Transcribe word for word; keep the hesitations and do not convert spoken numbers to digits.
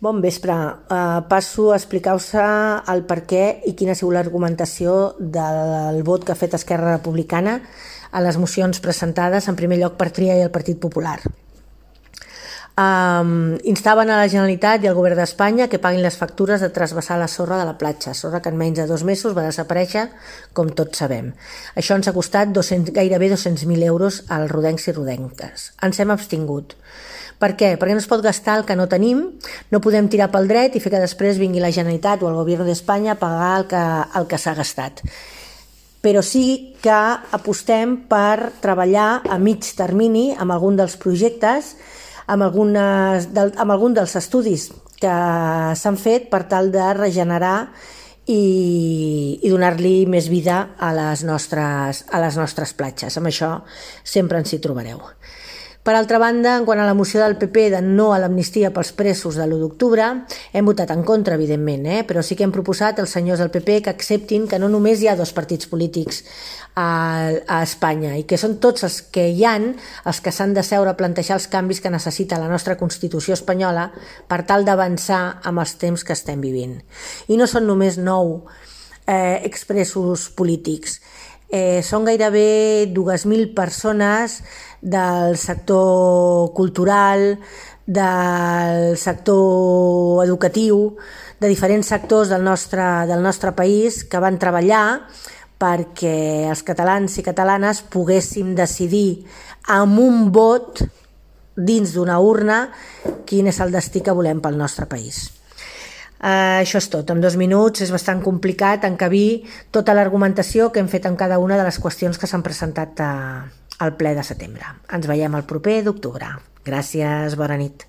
Bon vespre. Uh, passo a explicar-vos el per què i quina ha sigut l'argumentació del vot que ha fet Esquerra Republicana a les mocions presentades, en primer lloc per Tria i el Partit Popular. Um, instaven a la Generalitat i al Govern d'Espanya que paguin les factures de trasbassar la sorra de la platja, sorra que en menys de dos mesos va desaparèixer, com tots sabem. Això ens ha costat dos-cents, gairebé dos-cents mil euros als rodencs i rodenques. Ens hem abstingut. Per què? Perquè no es pot gastar el que no tenim, no podem tirar pel dret i fer que després vingui la Generalitat o el Govern d'Espanya a pagar el que, el que s'ha gastat. Però sí que apostem per treballar a mig termini amb algun dels projectes, amb, algunes, del, amb algun dels estudis que s'han fet per tal de regenerar i, i donar-li més vida a les nostres, a les nostres platges. Amb això sempre ens hi trobareu. Per altra banda, en quant a la moció del P P de no a l'amnistia pels presos de l'u d'octubre, hem votat en contra, evidentment, eh? Però sí que hem proposat als senyors del P P que acceptin que no només hi ha dos partits polítics a, a Espanya i que són tots els que hi han els que s'han de seure a plantejar els canvis que necessita la nostra Constitució espanyola per tal d'avançar amb els temps que estem vivint. I no són només nou eh, expressos polítics. Eh, són gairebé dues mil persones del sector cultural, del sector educatiu, de diferents sectors del nostre, del nostre país que van treballar perquè els catalans i catalanes poguéssim decidir amb un vot dins d'una urna quin és el destí que volem pel nostre país. Uh, això és tot. En dos minuts és bastant complicat encabir tota l'argumentació que hem fet en cada una de les qüestions que s'han presentat uh, al ple de setembre. Ens veiem el proper d'octubre. Gràcies, bona nit.